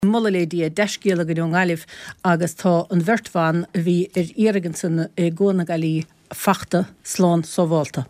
Moladh le Dia, dea-scéala againn ón nGaillimh agus tá an bheirt bhan a bhí ar iarraidh ansan i gCuan na Gailí fachta slán sábhálta.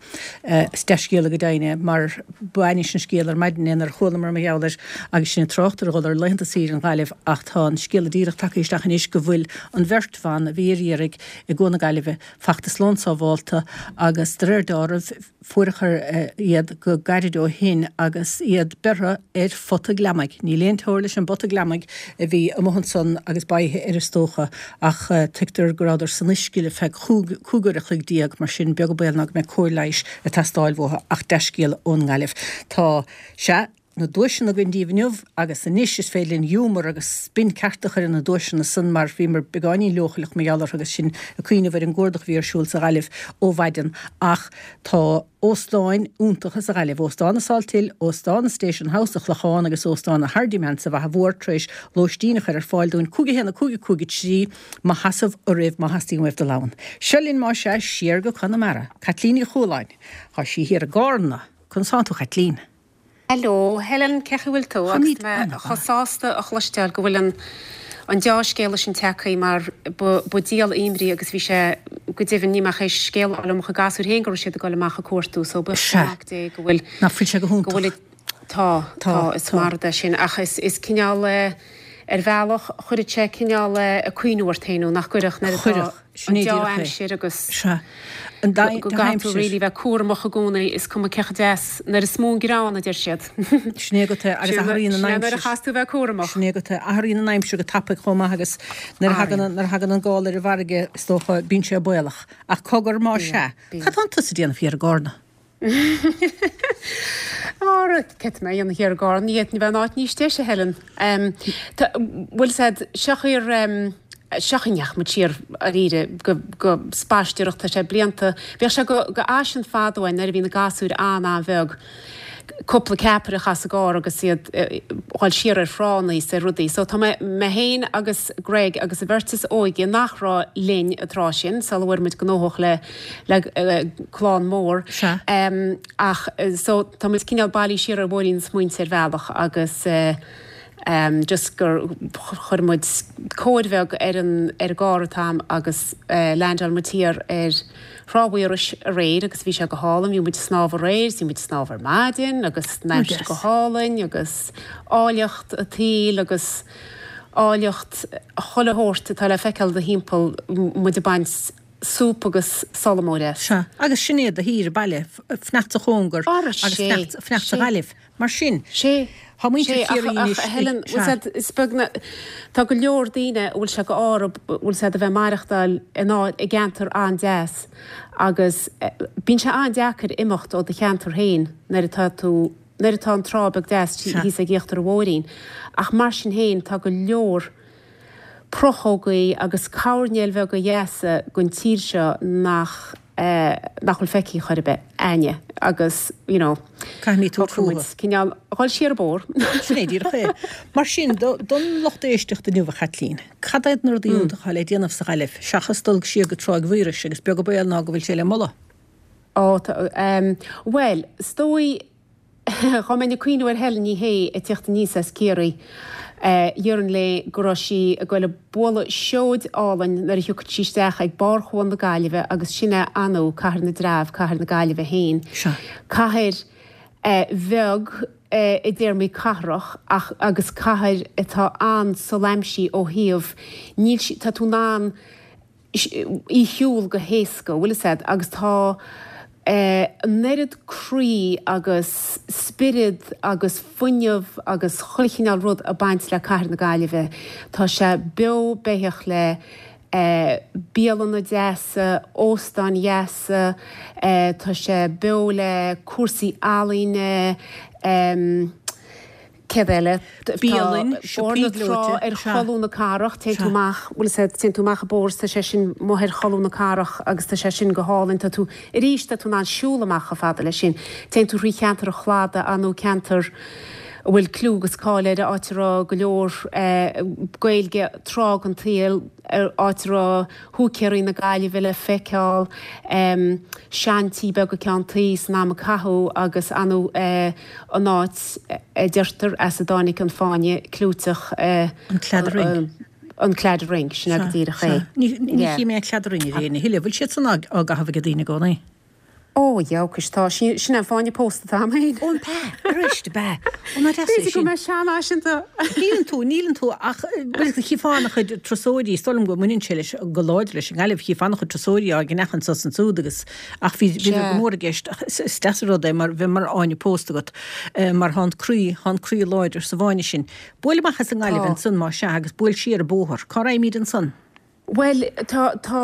Is dea-scéala go deimhin é mar b'ainnis an scéal ar maidin é nuair a chualamar mar gheall air agus sinn ag trácht ar dhul ar laethanta saoire an Ghaillimh ach tá an scéala díreach tagtha isteach anois go bhfuil an bheirt bhan a bhí ar iarraidh i gCuan na Gaillimhe fachta slán sábhálta agus de réir deáraimh Fuaireadar iad go gairid ó shin agus iad beirthe ar phota gliomaigh. Níl aon teora leis an bpota gliomaigh a bhí amuigh ansan agus báithe air is dócha, ach tuigtear go rabhadar san uisce le feadh chúig uair a chloig mar sin beag an baol ná go mbeidh cóir leighis ag teastáil uathu. Ach dea-scéala ón nGaillimh. Tá, sea. na duaiseanna againn daoibh inniu agus anois is féidir linn giúmar agus spin ceart a chur ar na duaiseanna san mar bhíomar beagáinín leochaileach mar gheall orthu agus sinn ag cuimhneamh ar an gcuardach a bhí ar siúl sa Ghaillimh ó mhaidin ach tá óstáin iontacha sa Ghaillimh, Óstán na Salthill, Óstán an Station House sa Chlochán agus Óstán an Hardiman sa Bhaile Mhór tar éis lóistín a chur ar fáil dúinn 5 1 5 5 3 mo sheasamh oraibh má theastaíonn uaibh dul ann. Seo linn más ea siar go Conamara. Caitlín Ní Chualáin. Tá sí thiar i gCárna. Conas tánn tú a Chaitlín? Hello, Helen, cén chaoi a bhfuil tú? Agus Táimid mé an-mhaith. chomh sásta a chloisteáil go bhfuil an an deá-scéala sin tagtha mar ba ba díol imní agus bhí sé go deimhin ní mbeadh éis scéal a fháil ó mo chuid gasúir féin go raibh siad ag dul amach ag cuartú so buíochas le Sea. Mac Dé go bhfuil Nach bhfuil sé go go bhfuil hiontach? tá Tá, tá is tá. maith é sin ach is is cineál eh ar bhealach chuirfeadh sé cineál eh ag cuimhniú ort féin nó nach gcuirfeadh nuair atá Chuirfeadh. Sin an é díreach é. deá-aimsir agus Sea. An go gcaithfidh tú dea-aimsir. really bheith cúramach i gcónaí, is cuma cé chomh deas, nuair is mó an greann, a deir siad. Sin é agat é, agus Sin athraíonn an é nuair a aimsir. chaithfeas tú bheith cúramach. Sin é agat é, athraíonn an aimsir go tapaidh chomh maith agus nuair a thagann, Athraíonn. nuair a thagann an gála ar an bhfarraige, is dócha, bíonn sé baolach. Ach cogar, má Bíonn, sea, bíonn. cad tánn tusa a déanamh thiar i gCárna? Ara, cad tá mé a dhéanamh thiar i gCárna, ní fhéadfainn a bheith in áit níos deise, Helen. Tá, bhfuil 's a'd, seo thiar, seo a ndeachaigh muid siar dáiríre go, go spaisteoireacht, tá sé blianta, bhíodh sé go, go fhaisean fada ó shin nuair a bhí na gasúir an-an-bheag, cúpla ceapaire a chaitheamh sa gcarr agus iad dhul siar ar thránna is ar rudaí. So tá mé, mé féin agus Greg agus an bheirt is óige nach raibh linn an tráth sin, sula bhfuair muid gnóthach le, le clann mór. Sea. Ach so tá muid cineál bailithe siar ar bhóithrín na smaointe ar bhealach agus just gur chuir muid cóir bheag ar an, ar an gcarr an t-am agus leaindeáil muid thiar ar Thrá Mhaorais aréir agus bhí sé go hálainn, bhí muid ag snámh aréir is bhí muid ag snámh ar maidin agus an aimsir go hálainn agus áilleacht an tsaoil agus áilleacht chuile shórt atá le feiceáil i do thimpeall, muid ag baint súp agus sult mór as. Sea, agus sin é do thír baile, fanacht sa chóngar Ara, agus sé, fanacht sa sé. Ghaillimh. Mar sin, Sé, tá muintir sé, ach, Chiarraí ach anois a ag, Helen, bhfuil sea. 's a'd, is beag na, tá go leor daoine a bhfuil sé go árb, bhfuil 's a'd, a bheith maireachtáil in áit, i gceantar an-deas agus bíonn sé an-deacair imeacht ó do cheantar féin nuair atá tú, nuair atá an trá beag deas Sea. thíos ag íochtar an bhóithrín. Ach mar sin féin, tá go leor prochógaí agus coirnéil bheaga dheasa den tír seo nach nach bhfuil feicthe chor ar bith a'inne agus you know Caithfimid tabhairt shocraigh muid fúthu. cineál dhul siar an bóthar. Sin é díreach é. Mar sin, don lucht éisteachta inniu, a Chaitlín, cad iad na rudaí iontacha atá le déanamh sa Ghaillimh, seachas dul siar go Tráigh Mhaorais agus beag an baol ná go bhfuil sé le moladh? Ó tá, bhuel, is dóigh Dá mbeinn ag cuimhniú ar Helen Ní Shé ag tíocht aníos as Ciarraí, déarfainn léi go raibh sí ag goil ag bualadh seoid álainn nuair a thiocfadh sí isteach ag barr Chuan na Gaillimhe agus sin é anu Cathair na dTreabh, Cathair na Gaillimhe féin. Sea. Cathair bheag i dtéarmaí cathrach ach agus cathair atá an-soláimhsithe ó thaobh, níl sí, tá tú in ann, í shiúl go héasca, bhfuil fhios a'd, agus tá an oiread croí agus spiorad agus fuinneamh agus chuile chineál rud ag baint le Cathair na Gaillimhe. Tá sé beo beathach le bialanna deasa, óstáin dheasa, tá sé beo le cúrsaí ealaíne, Céard eile? Tá Bialann, Bóthar siopaí na Trá gleoite, ar sea. cholún na cathrach, téann tú Sea. amach, bhfuil fhios a'd, téann tú amach an bóthar is tá sé sin amuigh ar cholún na cathrach agus tá sé sin go hálainn, tá tú, arís, tá tú in ann siúl amach chomh fada leis sin. Téann tú thrí cheantar an Chladaigh, nó ceantar. a bhfuil clú agus cáil air, áit a raibh go leor Gaeilge tráth den tsaol, áit a raibh húicéirí na Gaillimhe le feiceáil, seantí beaga ceann tuí san am a caitheadh agus ar ndóigh an áit a deirtear as a dtáinig an fáinne clúiteach. An Claddagh Ring. An Claddagh Ring, sin é go díreach é. Ní chím mé an Claddagh Ring a thuilleadh. Bhfuil siad san á gcaitheamh ag daoine i gcónaí? Ó, jawcais, tá. Sin é an fáinne pósta atá agam féin. Ó, an b'ea? Arís, ab ea? Ó, ná deas é B'fhéidir go sin. mbeidh seanfhaiseanta. Níleann tú, níleann tú ach, bhuel, chífeá an-chuid turasóirí, is dóigh liom go mbaineann sé leis, go láidir leis an nGaillimh, chífeá an-chuid turasóirí á gceannach anso is ansúd agus, ach bhí, bhíodar Sea. go mór i gceist ach is, is deas an rud é mar, bheith mar fháinne pósta agat, mar thá an croí, thá an croí láidir sa bhfáinne sin. Buail amach as an nGaillimh Tá. ansan, má sea, agus buail siar an bóthar. Cá raghaimíd ansan? Bhuel, tá, tá,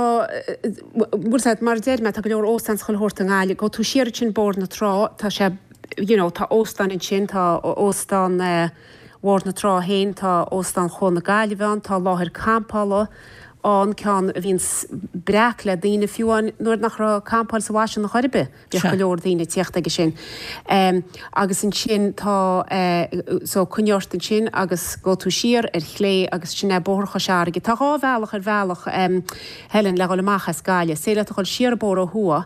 bhfuil 's a'd, mar a deir mé, tá go leor óstán 's chuile shórt i nGaillimh. Gabhfaidh tú siar ansin Bóthar na Trá, tá sé, you know, tá óstáin ansin, tá óstán Bhóthar na Trá féin, tá óstán Chuan na Gaillimhe ann, tá láthair campála ann, ceann a bhíonns breac le daoine fiú amháin nuair nach raibh campáil sa bhfaisean chor ar bith. Bhíodh go leor daoine ag tíocht aige sin. Agus ansin tá, so coinnigh ort ansin agus gabhfaidh tú siar ar chlé agus sin é Bóthar Chois Fharraige. Tá dhá bhealach ar bhealach, Helen, le dhul amach as Gaillimh. Is féidir leat a dhul siar an bóthar ó thuaidh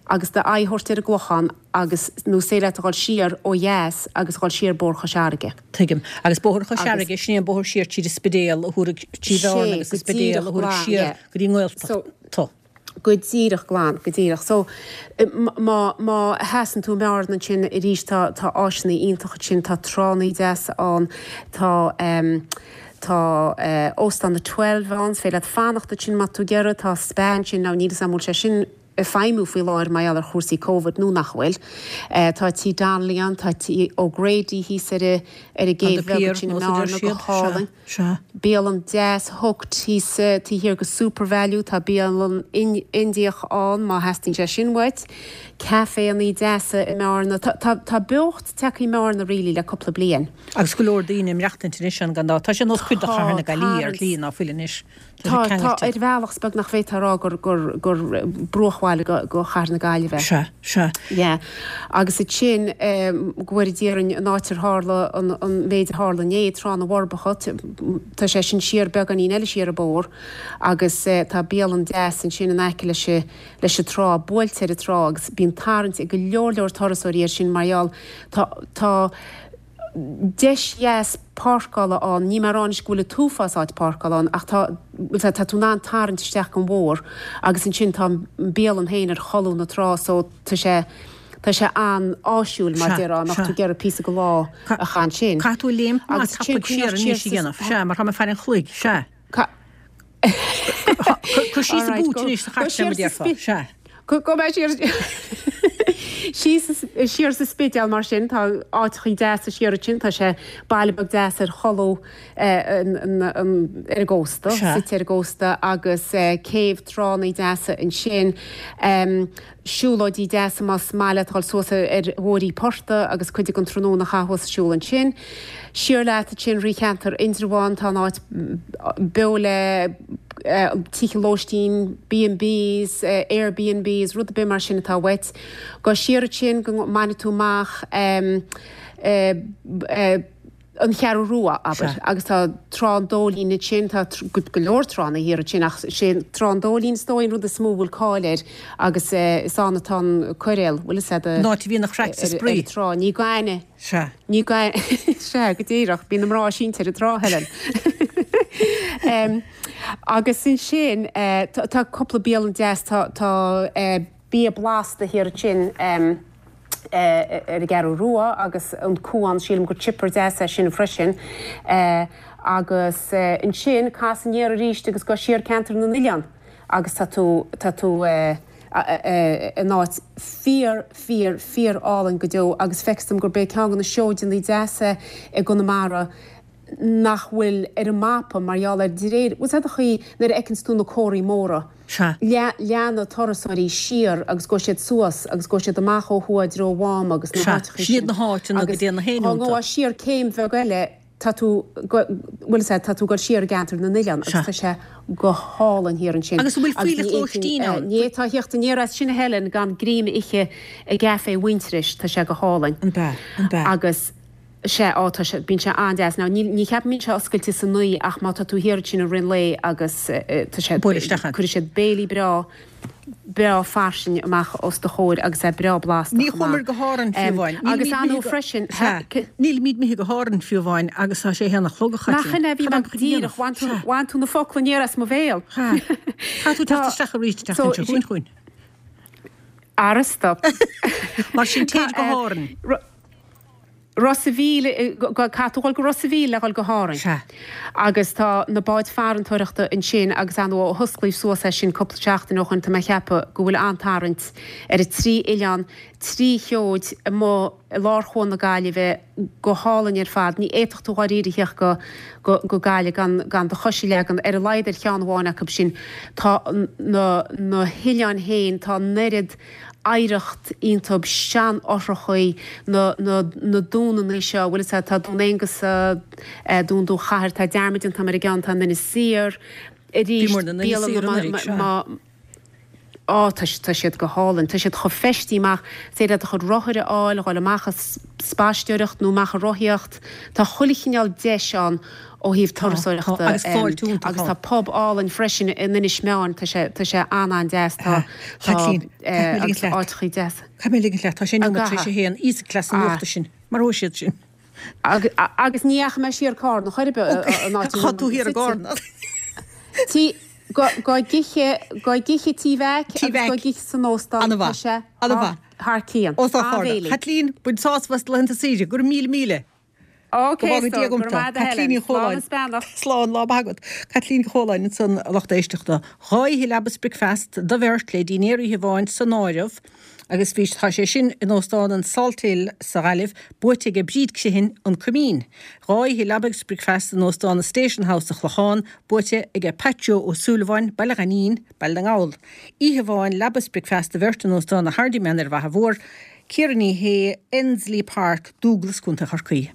agus d'aghaidh a thabhairt ar an gClochán agus, nó is féidir leat a dhul siar ó dheas agus a dhul siar Bóthar Chois Fharraige. Tuigim. Agus Bóthar Chois Fharraige, sin é an bóthar siar tríd an Spidéal a thabharfaidh trí Bhearna Sé, agus an go Spidéal díreach a thabharfaidh glan, siar yeah. go dtí an nGaeltacht. Go díreach glan, go díreach. So, má, má sheasann tú i mBearna ansin arís tá, tá áiseanna iontacha ansin, tá tránna deasa ann, tá ehm, tá eh Óstán na Twelve ann, is féidir leat fanacht ansin má tá tú ag iarraidh, tá spa ansin, now níl 'fhios a'm an bhfuil sé sin ag feidhmiú faoi láthair mar gheall ar chúrsaí Covid nó nach bhfuil. Eh tá Tí Donnelly ann, tá Tí O'Grady thíos ar a, ar an Tá gcéibh The bheag Pier, ansin i nós a deir mBearna, go siad, sea. hálainn. Sea. Bialann deas Hooked thíos taobh thiar go SuperValu, tá bialann Indiach ann má theastaíonn sé sin uait. Caiféannaí deasa i mBearna. Tá, tá, tá beocht tagtha i mBearna really le cúpla bliain. Agus go leor daoine ag maireachtaint anois ann gan dabht. Tá sé nós cuid de Tá, chathair na Gaillimhe ar tarraingt. shlí ná fuil anois. Tá, Tá sé tá, ceangailte. ar bhealach is beag nach bhféadfá a rá gur, gur, gur bruachbhaile go, go chathair na Gaillimhe é. Sea, sea. Yeah. Agus ansin, go bhfóire Dia orainn, an áit ar tharla an, an méid a tharla inné, Trá na bhForbacha, tá sé sin siar beagáinín eile siar an bóthar agus tá bialann deas ansin in aice leis an, leis an trá, buailte ar an trá agus bíonn tarraingt ag go leor leor turasóirí air sin mar gheall, tá, tá, deis dheas páirceála ann, níl mé ag rá anois go bhfuil an t-uafás áit páirceála ann ach tá, bhuel tá tú in ann tarraingt isteach gon bhóthar agus ansin tá an bialann féin ar cholún na trá so tá sé, tá sé an-áisiúil mar Sea, déarfá nach sea. tú ag iarraidh píosa go lá a chaitheamh ansin. Caithfidh tú léimt maith Agus ansin tapaidh siar coinneoidh anois siar a sa, dhéanamh, sea, mar tá mé ag faire an chloig, sea. Ca. Cuir síos an Alright, boot go, anois sa go chairt siar mar a sa déarfá, spi, sea. go, go mbeidh siar, síos, siar sa Spidéal mar sin, tá áiteachaí deasa siar ansin, tá sé baile beag deas ar cholúr an, an, an, ar an gcósta, Sea. suite ar an gcósta agus céibh tránnaí deasa ansin. Siúlóidí deasa más maith leat dhul suas ar Bhóithrí Portaigh agus cuid den tráthnóna a chaitheamh thuas ag siúl ansin. Siar leat ansin thrí cheantar Indreabháin, tá an áit beo le tithe lóistín, B and Bs, Airbnbs, rud ar bith mar sin atá uait. Gabh siar ansin go mbainfidh tú amach An Cheathrú Rua, abair, agus tá Trá an Dóilín ansin, tá go leor tránna thiar ansin ach sé Trá an Dóilín is dóigh an rud is mó a bhfuil cáil air agus is ann atá an coiréal, bhfuil fhios a'd, An áit a mbíonn an chraic 's an ar spraoi. an trá, ní gainne, Sea. ní gainne, sea, go díreach, bíonn na mná ag seinnt ar an trá, Helen. Agus ansin tá cúpla bialann deas, tá, tá Bia Blasta thiar ansin ar an gCeathrú Rua agus an Cuan, sílim gur chipper deas é sin freisin. Agus ansin cas aniar arís agus gabh siar Ceantar na nOileán agus tá tú, tá tú in áit fíor, fíor, fíor álainn go deo agus feictear dom gurb é ceann de na seoideanna deasa i gConamara nach bhfuil ar an mapa mar gheall ar de réir, bhfuil 's a'd an chaoi nuair a fheiceanns tú na comharthaí móra, Sea. leanfaidh turasóirí siar agus gabhfaidh siad suas agus gabhfaidh siad amach ó thuaidh i dtreo Mháma agus na Sea. háiteachaí Sin iad sin na háiteanna go agus dtéann na héin dá iontu. ngabhfá siar céim bheag eile tá tú, bhfuil 's a'd, tá tú ag dul siar i gceantar na n-oileán agus Sea. tá sé go hálainn thiar ansin Agus an bhfuil agus fuílleach ní lóistín fhéadfainn, ann? ní fhéadfá a theacht aniar as sin a Helen gan greim a ithe i gCaifé Mhuintearais, tá sé go hálainn. An b'ea? An b'ea? Agus. Sea, á, tá sé, bíonn sé an-deas. Now, níl, ní cheapaim go mbíonn sé oscailte san oíche ach má tá tú thiar ansin i rith an lae agus tá sé, Buail isteach ann. cuirfidh siad béilí breá, breá fairsing amach os do chomhair agus é breá blasta Ní chomh maith. chuamar go hÁrainn fiú amháin. Agus Nílimid ar ndóigh imithe go, freisin, sea, nílimid imithe go hÁrainn fiú amháin agus tá sé a haon a chlog, a Nach Chaitlín. in é, bhí Cad mé am chun a dhéanamh? díreach, bhain tú, Sea. bhain tú na focla aniar as mo bhéal. Sea. Caithfidh tú Tá, teacht isteach arís an so, tseachtain seo chugainn chugainn. Ara stop. Mar sin Tá, téid go hÁrainn. Ros a' Mhíl, caithfidh tú dhul go Ros a' Mhíl le dhul go hÁrainn. Sea. Agus tá na báid farantóireachta ansin agus ar ndóigh ó hosclaíodh suas é sin cúpla seachtain ó shoin tá mé ag ceapadh go bhfuil an-tarraingt ar an trí oileán, trí sheoid amuigh i lár Chuan na Gaillimhe, go hálainn ar fad. Ní fhéadfadh tú dháiríre a theacht go go Gaillimh gan gan do chois a leagan ar a laghad ar cheann amháin acu sin. Tá na na hoileáin féin, tá an oiread oidhreacht iontub, seanfhothrachaí, na, na, na dúnannaí seo, bhfuil fhios a'd, tá Dún Aonghasa, Dún Dún Chathair, tá dearmad déanta a'm ar an gceann atá in Inis Oírr, arís, Bhíomar in Inis Oírr bialanna anuraidh, sea. má, á, tá, tá siad go hálainn, tá siad chomh feistithe amach, is féidir leat do chuid rothair a fháil, a dhul amach ag spaisteoireacht nó amach ag rothaíocht, tá chuile chineál deis ann Ó thaobh Tá, tá, turasóireachta agus fáilte iontach agus ann. tá pub álainn freisin in Inis Meáin, tá sé, tá sé an-an-deas, tá, tá, Chaitlín, caithfidh mé ligint agus leat. áiteachaí deasa. Caithfidh mé ligint leat, tá sé An nóiméad tar éis a gcaithfidh? haon, íosfaidh cleas an Ah. nuachta sinn, maróidh siad sinn. Agus, agus ní dheachaigh mé siar Cárna chor ar bith, an áit a Tá bhfuil tú muid thiar i suite. gCárna. Tí, go, go gcíche, go gcíche Tí Mheaic Tí agus go Mheaic. gcíche san óstán, tá An-mhaith, sé an-mhaith. thar cionn. Óstán Chárna. An-bhéilí. Chaitlín, bain sásamh as do laethanta saoire, go raibh míle míle. Ok Go bhfága so, Dia go agam raibh maith agat a Caitlín Helen. Ní Slán Chualáin. is beannacht. Slán, lá maith agat. Caitlín Ní Chualáin ansan, a lucht éisteachta. Dhá oíche leaba is bricfeast do bheirt le dinnéar oíche amháin san áireamh agus bhí, tá sé sin in Óstán an Salthill sa Ghaillimh, buaite aige Bríd Criomhthain, An Coimín. Dhá oíche leaba agus bricfeast in Óstán an Station House sa Chlochán, buaite aige Pat Joe Ó Súilleabháin, Baile Ghainín, Baile na nGall. Oíche amháin leaba is bricfeast do bheirt in Óstán an Hardiman ar an bhFaiche Mhór, Ciara Ní Shé, Endsleigh Park, Dúglas, Contae Chorcaí.